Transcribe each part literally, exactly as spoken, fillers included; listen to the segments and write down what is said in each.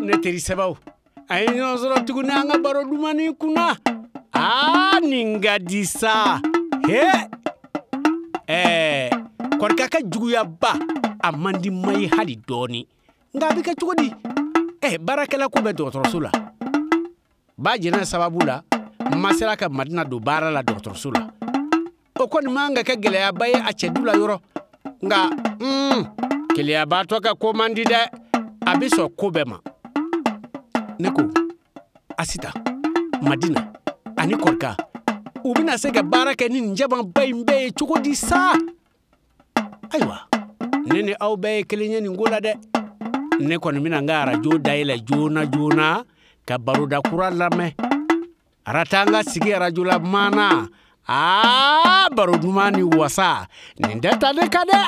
Ne teri sɛbɛw, a ye ɲɔgɔn sɔrɔ tuguni an ka baro dumani kunna. Aa, nin ka di sa. He, ɛɛ Kɔrika ka juguyaba a man di ma ye hali dɔɔni. Nka a bɛ kɛ cogo di? Ɛ baarakɛla ko bɛ dɔgɔtɔrɔso la. Ba jɛnɛ sababu la, ma sera ka Madina don baara la dɔgɔtɔrɔso la. O kɔni man ka kɛ gɛlɛyaba ye a cɛ du la yɔrɔ. Nka mm, keleyabaatɔ ka ko man di dɛ. A bɛ sɔn ko bɛɛ ma. Ne ko, Asita, Madina ani Kɔrika, u bɛna se ka baara kɛ ni nin jamanba in bɛɛ ye cogo di sa? Ayiwa, ne ni aw bɛɛ ye kelen ye nin ko la dɛ. Ne kɔni bɛna n ka arajo dayɛlɛ joona joona ka baroda kura lamɛn. Aratanga sigi arajo la maana. Aa, baro duman ni wasa, nin tɛ ta ne kan dɛ.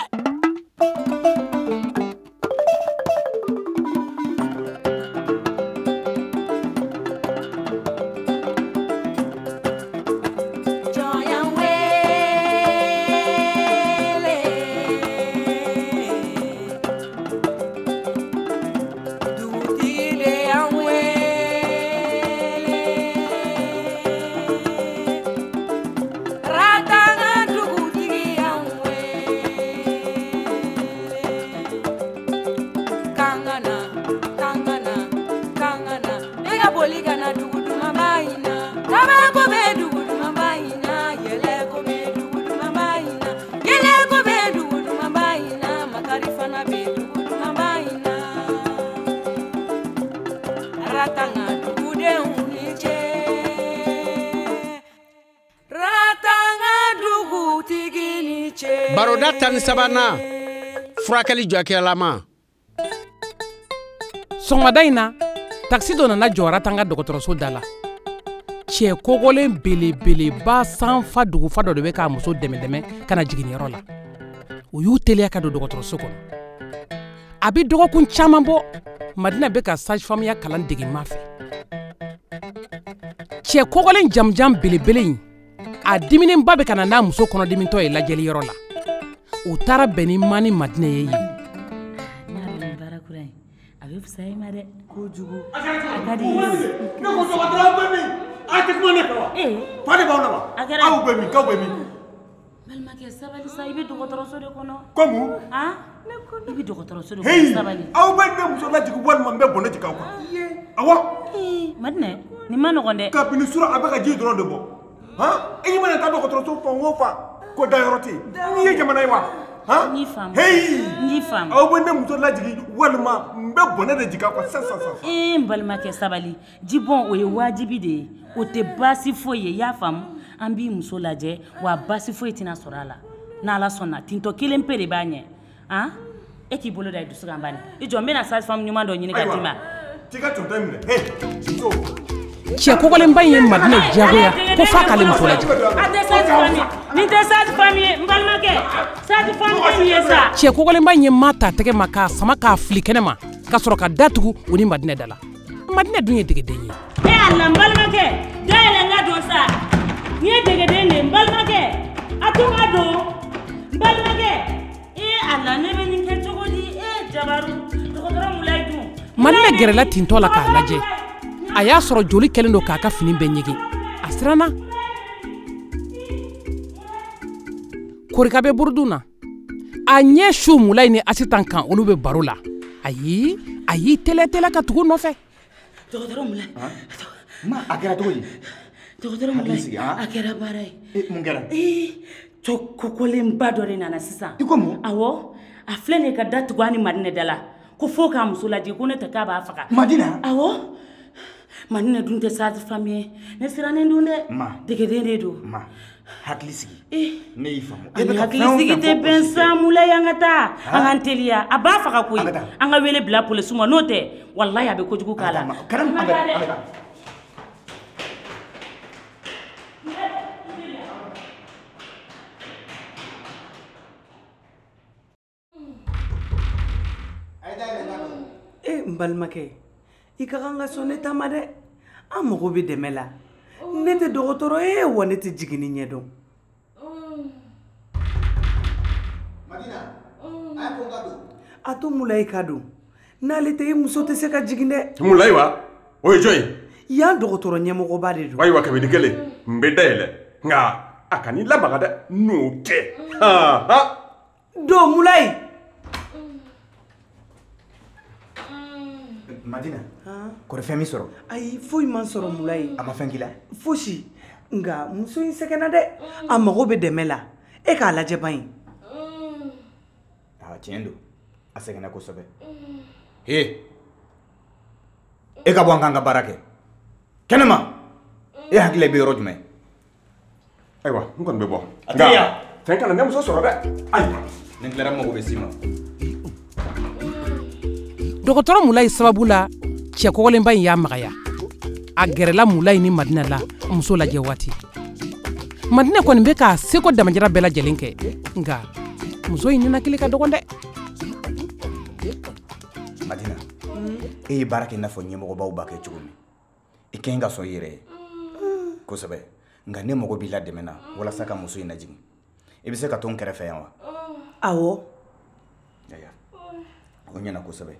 Baroda tan ni sabanan, furakɛli jɔkɛlama. Sɔgɔmada in na, takisi dɔ nana jɔ Aratanga dɔgɔtɔrɔso da la. Cɛ kogolen belebeleba sanfa dugufa dɔ de bɛ k'a muso dɛmɛ dɛmɛ ka na jiginniyɔrɔ la. U y'u teliya ka don dɔgɔtɔrɔso kɔnɔ. A bɛ dɔgɔkun caman bɔ, Madina bɛ ka sage-femme kalan dege ma fɛ. Cɛ kogolen jamujan belebele in, a diminenba bɛ ka na n'a muso kɔnɔdimitɔ ye lajɛliyɔrɔ la. U taara bɛn ni ma ni Madina ye yen. Baara kura in, a bɛ fisaya i ma dɛ. Kojugu. A ka di. Ne ko dɔgɔtɔrɔ bɛ min? A tɛ kuma ne fɛ wa? Fa de b'aw la wa? Aw bɛ min? K'aw bɛ min? Balimakɛ sabali sa, i bɛ dɔgɔtɔrɔso de kɔnɔ. Komu? Han? I bɛ dɔgɔtɔrɔso de kɔnɔ, sabali. Aw bɛ ne muso lajigin walima n bɛ bɔnɛ jigin aw kan. Awɔ. Madina, nin ma nɔgɔn dɛ. Kabini sura a bɛ ka ji dɔrɔn de bɔ. Han? I mana taa dɔgɔtɔrɔso fan o fan, ko dayɔrɔ tɛ yen. N'i ye jamana ye wa? Han? N y'i faamu. Heyi! N y'i faamu. Aw bɛ ne muso lajigin walima n bɛ bɔnɛ de jigin aw kan sisan sisan sisan. Ee n balimakɛ sabali, jibɔn o ye wajibi de ye. O tɛ baasi foyi ye, i y'a faamu? An b'i muso lajɛ wa baasi foyi tɛna sɔrɔ a la. N'Ala sɔnna, tintɔ kelen pe de b'a ɲɛ. Han? E k'i bolo da i dusu kan bani. I jɔ n bɛna sage-femme ɲuman dɔ ɲini ka d'i ma. T'i ka tɔntɔn minɛ. Hey! Muso. Cɛ kogolenba in ye Madina diyagoya ko f'a k'ale muso lajigin. A tɛ sage-femme ye. Nin tɛ sage-femme ye, n balimakɛ. Sage-femme tɛ nin ye sa. Cɛ kogolenba in ye ma ta tɛgɛ ma k'a sama k'a fili kɛnɛ ma ka sɔrɔ ka da tugu u ni Madina da la. Madina dun ye degeden ye. E Ala, n balimakɛ, da yɛlɛ n ka don sa. Nin ye degeden de ye, n balimakɛ. A to n ka don. N balimakɛ. E Ala, ne bɛ nin kɛ cogo di? E Jabaru, dɔgɔtɔrɔ Mulayi dun. Madina gɛrɛla tintɔ la k'a lajɛ. A y'a sɔrɔ joli kɛlen don k'a ka fini bɛɛ ɲegin. A siranna. Korika bɛ burudun na. A ɲɛ su Mulayi ni Asitan kan, olu bɛ baro la. Ayi, a y'i teliya teliya ka tugu nɔfɛ. Dɔgɔtɔrɔ Mulayi. Ma, a kɛra cogo di? Dɔgɔtɔrɔ Mulayi, a kɛra baara ye. E, mun kɛra? Ee, cɛ kokolenba dɔ de nana sisan. I ko mun? Awɔ, a filɛ nin ye ka da tugu a ni Madina da la. Ko fo k'a muso lajigin, ko ne tɛ k'a b'a faga. Madina? Awɔ. Madina dun tɛ sage-femme ye. Ne sirannen dun dɛ. Ma. Degeden de don. Ma, hakili sigi. Eh. Ne y'i faamu. Ani hakili sigi tɛ bɛn sa, Mulayi, an ka taa. An k'an teliya. A b'a faga koyi. An ka wele bila polisiw ma, n'o tɛ walahi a bɛ kojugu k'a la. An ka taa dɛ. E n balimakɛ, i ka kan ka sɔn ne ta ma dɛ. An mago bɛ dɛmɛ la. Ne tɛ dɔgɔtɔrɔ ye wa ne tɛ jiginni ɲɛdɔn. Madina, a ye ko n ka don. A to Mulayi ka don. N'ale tɛ, i muso tɛ se ka jigin dɛ. Mulayi wa? O ye jɔn ye? Yan dɔgɔtɔrɔ ɲɛmɔgɔba de don. Ayiwa, kabini kelen n bɛ dayɛlɛ, nka a kan'i lamaga dɛ, n'o tɛ. Han han. Don Mulayi. Madina, kɔri fɛn min sɔrɔ? Ayi, foyi ma sɔrɔ Mulayi. A ma fɛn k'i la? Fosi. Nka muso in sɛgɛnna dɛ, a mago bɛ dɛmɛ la. E k'a lajɛ ban ye. Aa, tiɲɛ don, a sɛgɛnna kosɛbɛ. He, e ka bɔ an k'an ka baara kɛ kɛnɛma. E hakili bɛ yɔrɔ jumɛn? Ayiwa, n kɔni bɛ bɔ. A tɛ yan. Fɛn kana ne muso sɔrɔ dɛ. Ayiwa, ni n tilara n mago bɛ s'i ma. Dɔgɔtɔrɔ Mulayi sababu la, cɛ kɔgɔlenba in y'a magaya. A gɛrɛla Mulayi ni Madina la muso lajɛ waati. Madina kɔni bɛ k'a seko damajira bɛɛ lajɛlen kɛ, nka muso in ninakili ka dɔgɔn dɛ. Madina, e ye baara kɛ i n'a fɔ ɲɛmɔgɔbaw b'a kɛ cogo min. I ka ɲi ka sɔn i yɛrɛ ye kosɛbɛ, nka ne mago b'i la dɛmɛ na walasa ka muso in lajigin. I bɛ se ka to n kɛrɛfɛ yan wa? Awɔ. Ayiwa, o ɲɛna kosɛbɛ.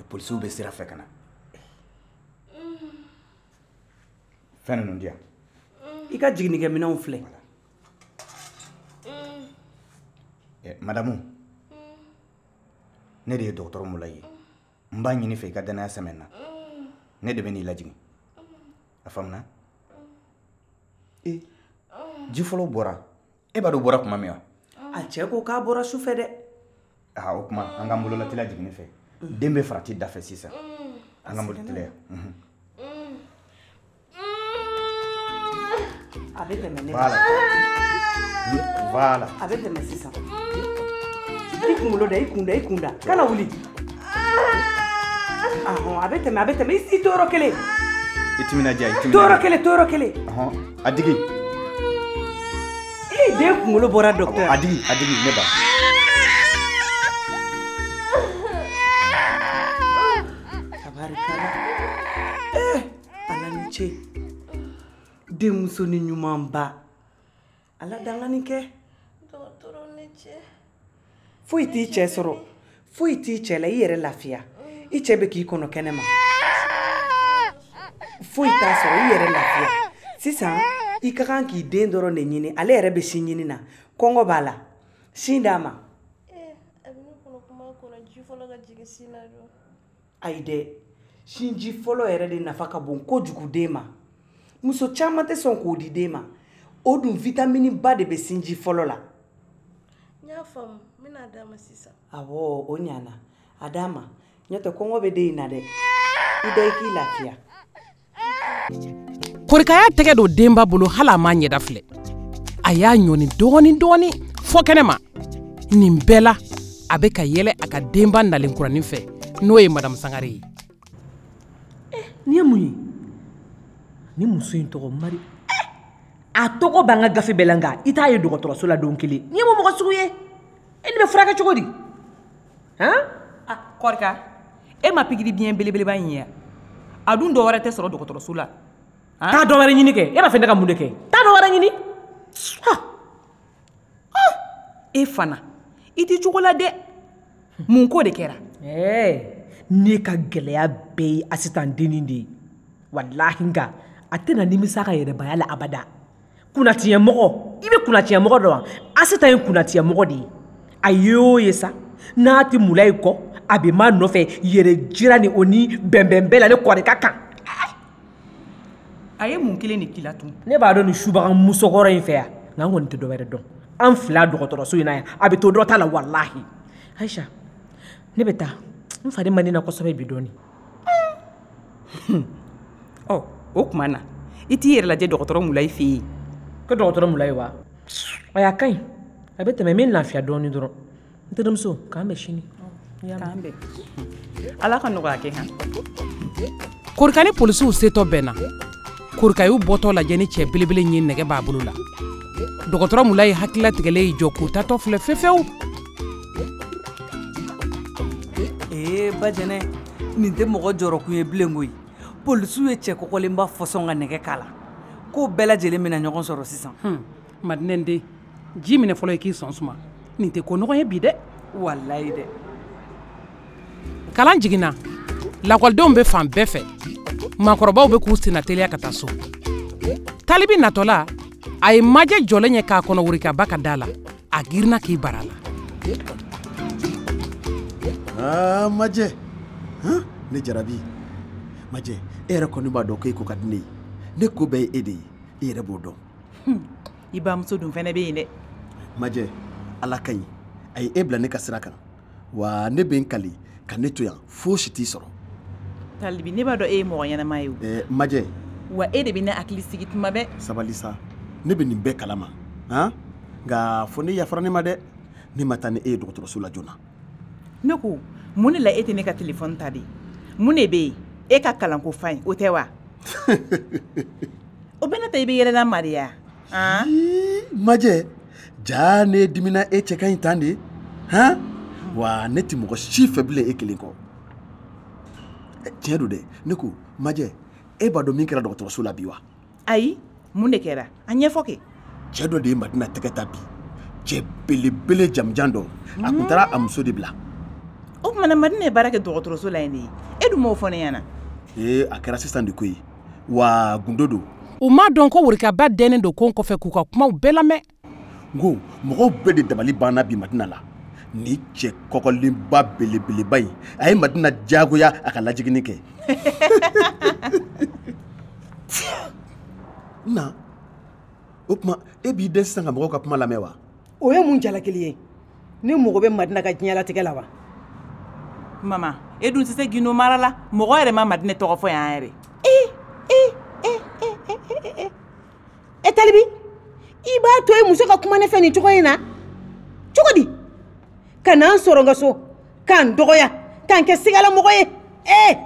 Polisiw bɛ sira fɛ ka na. Fɛn ninnu di yan. I ka jiginnikɛminɛnw filɛ. Madamu, ne de ye dɔgɔtɔrɔ Mulayi ye. N b'a ɲini fɛ i ka danaya sɛmɛ n na. Ne de bɛ n'i lajigin. A faamuna? E, ji fɔlɔ bɔra. E b'a dɔn o bɔra tuma min wa? A cɛ ko k'a bɔra su fɛ dɛ. Aa, o tuma an k'an bololateliya jiginni fɛ. Den bɛ farati da fɛ sisan. An k'an bolo teliya. A bɛ tɛmɛ ne. Voilà. Voilà. A bɛ tɛmɛ sisan. I kunkolo da, i kun da, i kun da. Kana wuli. Ahɔn, a bɛ tɛmɛ, a bɛ tɛmɛ. I to yɔrɔ kelen. I timinadiya, i timinadiya. To yɔrɔ kelen, to yɔrɔ kelen. Ɔhɔn, a digi. I den kunkolo bɔra docteur. A digi, a digi, ne ba. Tabarikala. Eh, Ala ni ce. Denmusonin ɲumanba. Ala dangani kɛ. Dɔgɔtɔrɔ ni ce. Foyi t'i cɛ sɔrɔ. Foyi t'i cɛ la, i yɛrɛ lafiya. I cɛ bɛ k'i kɔnɔ kɛnɛ ma. Foyi t'a sɔrɔ, i yɛrɛ lafiya. Sisan, i ka kan k'i den dɔrɔn de ɲini. Ale yɛrɛ bɛ sin ɲini na. Kɔngɔ b'a la. Sin d'a ma. Eh, a bɛ ne kɔnɔ kuma kɔnɔ ji fɔlɔ ka jigin sin na dɔrɔn. Ayi dɛ, sinji fɔlɔ yɛrɛ de nafa ka bon kojugu den ma. Muso caman tɛ sɔn k'o di den ma. O dun vitamine ba de bɛ sinji fɔlɔ la. N y'a faamu, n bɛna d'a ma sisan. Awɔ, o ɲana. A d'a ma. N'o tɛ kɔngɔ bɛ den in na dɛ. I da i k'i lafiya. Korika y'a tɛgɛ don denba bolo hali a m'a ɲɛda filɛ. A y'a ɲɔni dɔɔni dɔɔni fɔ kɛnɛ ma. Nin bɛɛ la, a bɛ ka yɛlɛ a ka denba nalen kuranin fɛ, n'o ye Madamu Sangare ye. Eh, nin ye mun ye? Ni muso in tɔgɔ Mari. A tɔgɔ b'an ka gafe bɛɛ la, nka i t'a ye dɔgɔtɔrɔso la don kelen. Nin ye mun mɔgɔ sugu ye? E nin bɛ furakɛ cogo di? Han? Ah, Korika, e ma pikiri biɲɛ belebeleba in ye? A dun dɔ wɛrɛ tɛ sɔrɔ dɔgɔtɔrɔso la. Taa dɔ wɛrɛ ɲini kɛ. E b'a fɛ ne ka mun de kɛ? Taa dɔ wɛrɛ ɲini. Ha! E fana, i t'i cogo la dɛ. Mun ko de kɛra? Ɛɛ, ne ka gɛlɛya bɛɛ ye Asitan dennin de ye. Walahi nka a tɛna nimisa ka yɛrɛbaya la abada. Kunnatiɲɛmɔgɔ, i bɛ kunnatiɲɛmɔgɔ dɔn wa? Asitan ye kunnatiɲɛmɔgɔ de ye. A ye o ye sa, n'a tɛ Mulayi kɔ, a bɛ maa nɔfɛ yɛrɛ jira ni o ni bɛnbɛn bɛɛ la ne Korika kan. A ye mun kelen de k'i la tun? Ne b'a dɔn nin subaga musokɔrɔ in fɛ yan, nka n kɔni tɛ dɔ wɛrɛ dɔn. An fila dɔgɔtɔrɔso in na yan, a bɛ to dɔ ta la walahi. Ayisa, ne bɛ taa. N fari man di n na kosɛbɛ bi dɔɔni. Ɔ, o tuma na, i t'i yɛrɛ lajɛ dɔgɔtɔrɔ Mulayi fɛ yen. Ko dɔgɔtɔrɔ Mulayi wa? Ayi, a ka ɲi. A bɛ tɛmɛ, n bɛ lafiya dɔɔni dɔrɔn. N terimuso, k'an bɛn sini. K'an bɛn. Ala ka nɔgɔya kɛ han. Korika ni polisiw setɔ bɛnna. Korika y'u bɔtɔ lajɛ ni cɛ belebele in ye nɛgɛ b'a bolo la. Dɔgɔtɔrɔ Mulayi hakilila tigɛlen y'i jɔ k'u tatɔ filɛ fefewu. Ee Bajɛnɛ, nin tɛ mɔgɔ jɔrɔkun ye bilen koyi. Polisiw ye cɛ kɔkɔlenba fɔsɔn ka nɛgɛ k'a la. Ko bɛɛ lajɛlen bɛna ɲɔgɔn sɔrɔ sisan. Hmm, Madinɛ den, ji minɛ fɔlɔ i k'i sɔn suma. Nin tɛ ko nɔgɔn ye bi dɛ. Walayi dɛ. Kalan jiginna, lakɔlidenw bɛ fan bɛɛ fɛ, maakɔrɔbaw bɛ k'u senna teliya ka taa so. Talibi natɔla, a ye Majɛ jɔlen ye k'a kɔnɔ Worikaba ka da la. A girinna k'i bara a la. Aa Majɛ, han ne jarabi. Majɛ, e yɛrɛ kɔni b'a dɔn ko e ko ka di ne ye. Ne ko bɛɛ ye e de ye, i yɛrɛ b'o dɔn. I bamuso dun fɛnɛ bɛ yen dɛ. Majɛ, Ala ka ɲi. A ye e bila ne ka sira kan. Wa ne bɛ n kali ka ne to yan fosi t'i sɔrɔ. Talibi, ne b'a dɔn e ye mɔgɔ ɲɛnama ye o. Ɛɛ Majɛ. Wa e de bɛ ne hakili sigi tuma bɛɛ. Sabali sa, ne bɛ nin bɛɛ kalama. Han? Nka fo ne yafara ne ma dɛ. Ne ma taa ni e ye dɔgɔtɔrɔso la joona. Ne ko, mun de la e tɛ ne ka telefɔni ta de? Mun de bɛ yen? E ka kalanko fa in, o tɛ wa? O bɛɛ n'a ta i bɛ yɛlɛla ma de ya? Han? Majɛ, jaa ne dimina e cɛ ka ɲi tan de. Han? Wa ne tɛ mɔgɔ si fɛ bilen e kelen kɔ. Tiɲɛ don dɛ, ne ko Majɛ, e b'a dɔn min kɛra dɔgɔtɔrɔso la bi wa? Ayi, mun de kɛra? A ɲɛfɔ kɛ. Cɛ dɔ de ye Madina tɛgɛ ta bi. Cɛ belebele jamujan dɔ. A kun taara a muso de bila. O tuma na Madina ye baara kɛ dɔgɔtɔrɔso la yen de ye. E dun m'o fɔ ne ɲɛna. Ee, a kɛra sisan de koyi. Wa gundo don. U m'a dɔn ko Worikaba dɛnnen don kon kɔfɛ k'u ka kumaw bɛɛ lamɛn. N ko mɔgɔw bɛɛ de dabali banna bi Madina la. Ni cɛ kɔkɔlenba belebeleba in, a ye Madina diyagoya a ka lajiginni kɛ. Na, o tuma e b'i dɛn sisan ka mɔgɔw ka kuma lamɛn wa? O ye mun jalakili ye? Ne mago bɛ Madina ka diɲɛlatigɛ la wa? Mama, e dun tɛ se gindo mara la. Mɔgɔ yɛrɛ ma Madina tɔgɔ fɔ yan yɛrɛ. E, e, e, e, e, e, e Talibi, i b'a to e muso ka kuma ne fɛ nin cogo in na? Cogo di? Ka n'an sɔrɔ n ka so, k'an dɔgɔya, k'an kɛ sigalamɔgɔ ye. Ee!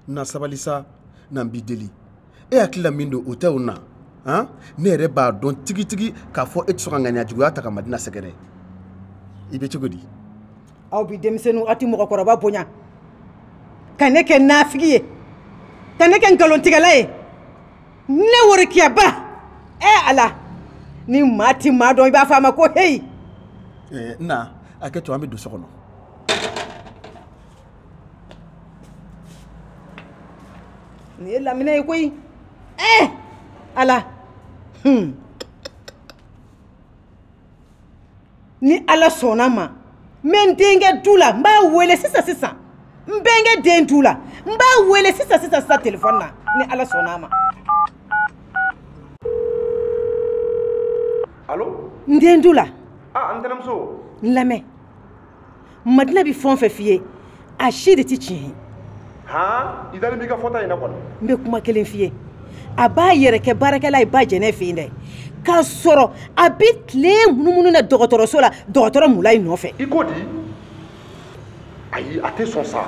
Na sabali sa, na n b'i deli. E hakili la min don o tɛ o na. Han? Ne yɛrɛ b'a dɔn tigitigi k'a fɔ e tɛ sɔn ka ŋaniya juguya ta ka Madina sɛgɛrɛ. I bɛ cogo di? Aw bi denmisɛnninw, aw tɛ mɔgɔkɔrɔba bonya. Ka ne kɛ nafigi ye. Ka ne kɛ nkalontigɛla ye. Ne Worikiyaba. Ee Ala! Ni maa ti maa dɔn i b'a fɔ a ma ko heyi. Ɛɛ na, a kɛ to an bɛ don so kɔnɔ. Nin ye laminɛ ye koyi. Ee Ala! Hmm. Ni Ala sɔnna ma, n bɛ n denkɛ du la, n b'a wele sisan sisan. N bɛnkɛ den du la, n b'a wele sisan sisan sisan telefɔni na, ni Ala sɔnna a ma. Allo? N den du la. Ah, n tɛnɛmuso. N lamɛn. Madina bɛ fɛn o fɛn f'i ye, a si de tɛ tiɲɛ ye. Han, i dalen b'i ka fɔta in na kɔni. N bɛ kuma kelen f'i ye. A b'a yɛrɛ kɛ baarakɛla ye ba jɛnɛ fɛ yen dɛ. K'a sɔrɔ a bɛ tile munumunu na dɔgɔtɔrɔso la, dɔgɔtɔrɔ Mulayi nɔfɛ. I ko di? Ayi, a tɛ sɔn sa.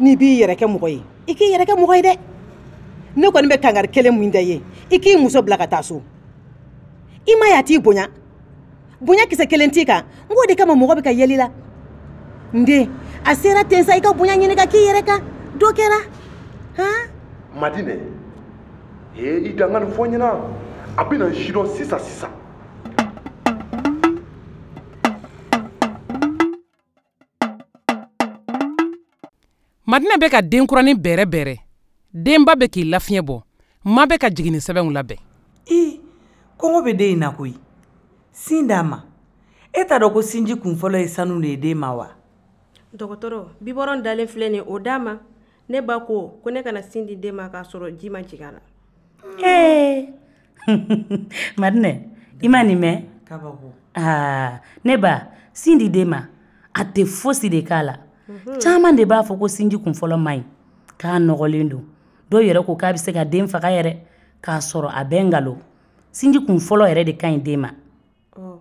N'i b'i yɛrɛ kɛ mɔgɔ ye, i k'i yɛrɛ kɛ mɔgɔ ye dɛ. Ne kɔni bɛ kangari kelen min da i ye, i k'i muso bila ka taa so. I ma ye a t'i bonya. Bonya kisɛ kelen t'i kan. N k'o de kama mɔgɔ bɛ ka yɛlɛ i la. N den, a sera ten sa i ka bonya ɲini ka k'i yɛrɛ kan. Dɔ kɛra. Han? Madinɛ, ee i dan ka nin fɔ n ɲɛna. A bɛna n sidɔn sisan sisan. Madina bɛ ka denkuranin bɛrɛ bɛrɛ. Denba bɛ k'i lafiɲɛ bɔ. Ma bɛ ka jiginni sɛbɛnw labɛn. Ee, kɔngɔ bɛ den in na koyi. Sin d'a ma. E t'a dɔn ko sinji kun fɔlɔ ye sanu de ye den ma wa? Dɔgɔtɔrɔ, bibɔrɔn dalen filɛ nin ye, o d'a ma. Ne ba ko ko ne kana sin di den ma k'a sɔrɔ ji ma jigin a la. Ee! Madinɛ, i ma nin mɛn? Kabako. Aa, ne ba, sin di den ma, a tɛ fosi de k'a la. Caman de b'a fɔ ko sinji kun fɔlɔ man ɲi, k'a nɔgɔlen don. Dɔw yɛrɛ ko k'a bɛ se ka den faga yɛrɛ, k'a sɔrɔ a bɛ nkalon. Sinji kun fɔlɔ yɛrɛ de ka ɲi den ma. Ɔ,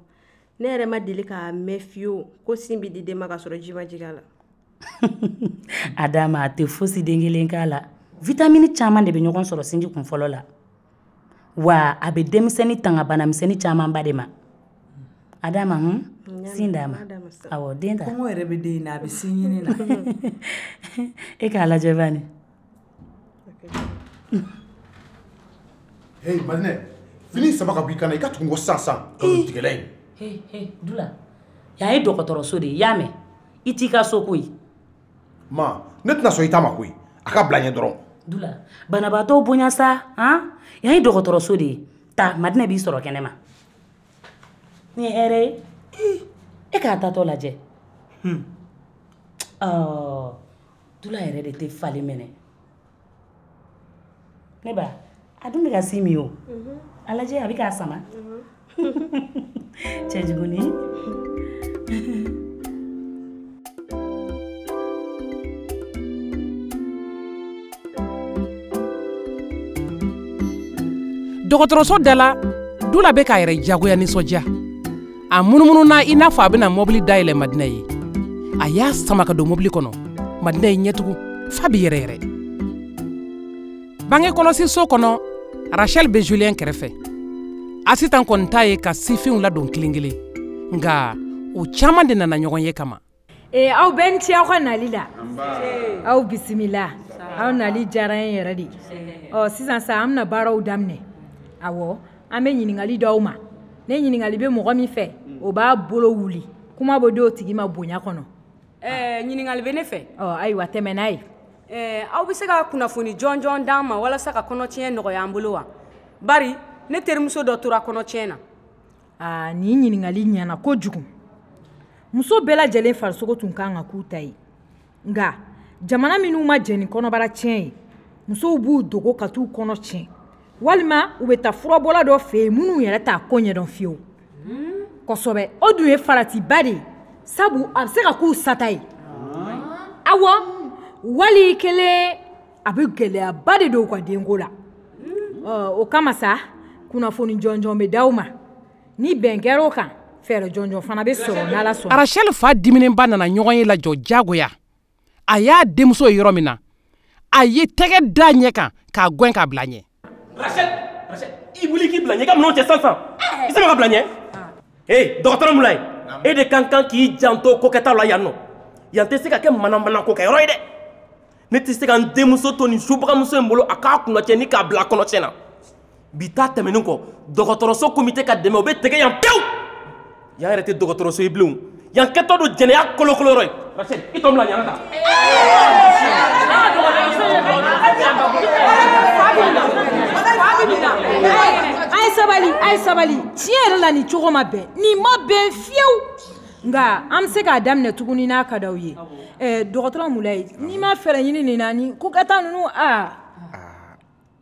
ne yɛrɛ ma deli k'a mɛn fiyewu ko sin bɛ di den ma k'a sɔrɔ ji ma jigin a la. A d'a ma, a tɛ fosi den kelen k'a la. Vitamini caman de bɛ ɲɔgɔn sɔrɔ sinji kun fɔlɔ la. Wa a bɛ denmisɛnnin tanga banamisɛnnin camanba de ma. A d'a ma, hun? Sin d'a ma. Awɔ, den ta. Kɔngɔ yɛrɛ bɛ den in na, a bɛ sin ɲini na. E k'a lajɛ bani. Hey Madinɛ, fini saba ka bɔ i kan na, i ka tugu n kɔ sisan sisan. Nkalontigɛla in. Hey, hey, Dula. Yan ye dɔgɔtɔrɔso de ye, i y'a mɛn? I t'i ka so koyi. Ma, ne tɛna sɔn i ta ma koyi. A ka bila n ɲɛ dɔrɔn. Dula, banabaatɔw bonya sa, han? Yan ye dɔgɔtɔrɔso de ye. Taa, Madinɛ b'i sɔrɔ kɛnɛ ma. Nin ye hɛrɛ ye. E k'a tatɔ lajɛ. Hmm. Ɔ, Dula yɛrɛ de tɛ falen minɛ. Ne ba, a dun bɛ ka sin min o. A lajɛ, a bɛ k'a sama. Cɛjuguni. Dɔgɔtɔrɔso da la, Dula bɛ k'a yɛrɛ jagoya nisɔndiya. A munumununa i n'a fɔ a bɛna mɔbili dayɛlɛ Madinɛ ye. A y'a sama ka don mɔbili kɔnɔ. Madinɛ ye ɲɛtugu f'a bɛ yɛrɛ yɛrɛ. Bange kɔlɔsi so kɔnɔ, Rachel bɛ Julien kɛrɛfɛ. Asitan kɔni ta ye ka sifinw ladon kelen kelen. Nka o caman de nana ɲɔgɔn ye kama. Ee, aw bɛɛ ni ce aw ka nali la. Aw bisimila. Aw nali diyara n ye yɛrɛ de. Ɔ, sisan sa an bɛna baaraw daminɛ. Awɔ, an bɛ ɲininkali d'aw ma. Ne ɲininkali bɛ mɔgɔ min fɛ, o b'a bolo wuli. Kuma bɛ d'o tigi ma bonya kɔnɔ. Ɛɛ, ɲininkali bɛ ne fɛ. Ɔ, ayiwa, tɛmɛ n'a ye. Ɛɛ, aw bɛ se ka kunnafoni jɔnjɔn d'an ma walasa ka kɔnɔtiɲɛ nɔgɔya an bolo wa? Bari ne terimuso dɔ tora kɔnɔtiɲɛ na. Aa, nin ɲininkali ɲɛna kojugu. Muso bɛɛ lajɛlen farisogo tun kan ka k'u ta ye. Nka jamana minnu ma jɛn ni kɔnɔbara tiɲɛ ye, musow b'u dogo ka t'u kɔnɔ tiɲɛ. Walima u bɛ taa furabɔla dɔ fɛ yen minnu yɛrɛ t'a ko ɲɛdɔn fiyewu. Kosɛbɛ, o dun ye faratiba de ye, sabu a bɛ se ka k'u sata ye. Awɔ, wali kelen a bɛ gɛlɛyaba de don u ka denko la. Ɔ, o kama sa, kunnafoni jɔnjɔn bɛ d'aw ma. Ni bɛn kɛra o kan, fɛɛrɛ jɔnjɔn fana bɛ sɔrɔ n'Ala sɔnna. Rachel fa diminenba nana ɲɔgɔn ye lajɔ jagoya. A y'a denmuso ye yɔrɔ min na, a ye tɛgɛ da ɲɛ kan k'a gɛn k'a bila ɲɛ. Rachel, Rachel, i wuli k'i bila ɲɛ, i ka minɛnw cɛ sisan sisan. I sama ka bila ɲɛ. Hey, dɔgɔtɔrɔ Mulayi, e de kan kan k'i janto kokɛtaw la yan nɔ. Yan tɛ se ka kɛ manamana kokɛyɔrɔ ye dɛ. Ne tɛ se ka n denmuso to nin subagamuso in bolo a k'a kunnacɛ ni k'a bila kɔnɔtiɲɛ na. Bi ta tɛmɛnen kɔ, dɔgɔtɔrɔso komite ka dɛmɛ o bɛ tigɛ yan pewu. Yan yɛrɛ tɛ dɔgɔtɔrɔso ye bilen. Yan kɛtɔ don jɛnɛya kolokoloyɔrɔ ye. Rachel, i tɔ bila ɲana ta. A ye sabali, a ye sabali. Tiɲɛ yɛrɛ la nin cogo ma bɛn. Nin ma bɛn fiyewu. Nka an bɛ se k'a daminɛ tuguni n'a ka d'aw ye. Ɛɛ, dɔgɔtɔrɔ Mulayi, n'i ma fɛɛrɛ ɲini nin na, ni ko ka taa ninnu aa.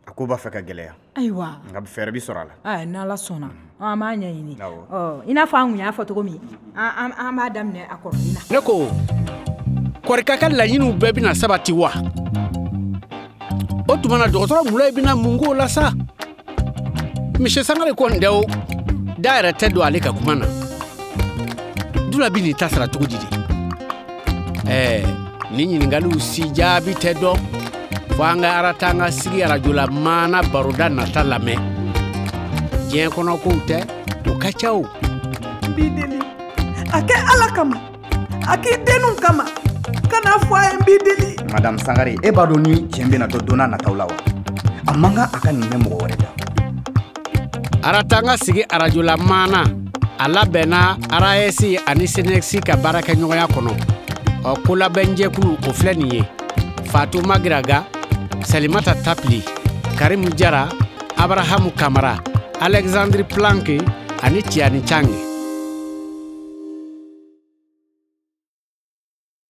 A ko b'a fɛ ka gɛlɛya. Ayiwa. Nka fɛɛrɛ bi sɔrɔ a la. Aa, n'Ala sɔnna, an b'a ɲɛɲini. Ɔ, i n'a fɔ an kun y'a fɔ cogo min, an an b'a daminɛ a kɔrɔlen na. Ne ko, Kɔrika ka laɲiniw bɛɛ bɛna sabati wa? O tuma na dɔgɔtɔrɔ Mulayi bɛna mun k'o la sa? Monsieur Sangare kɔni dɛ o, da yɛrɛ tɛ don ale ka kuma na. Dula bɛ nin ta sara cogo di de? Ɛɛ, nin ɲininkaliw si jaabi tɛ dɔn. Fo an ka Aratanga sigi arajo la maana baroda nata lamɛn. Diɲɛ kɔnɔ kow tɛ, o ka ca o. N b'i deli, a kɛ Ala kama, a k'i denninw kama, kana fɔ a ye n b'i deli. Madame Sangare, e b'a dɔn ni tiɲɛ bɛna dɔn don n'a nataw la wa? A man kan a ka nin mɛn mɔgɔ wɛrɛ da. Aratanga sigi arajo la maana, a labɛnna R A S ani C N S ka baarakɛɲɔgɔnya kɔnɔ. Ɔ, kolabɛnjɛkulu o filɛ nin ye: Fatou Magiraga, Salimata Tapli, Karim Jara, Abrahamu Kamara, Alexandre Planck ani Tiani Chang.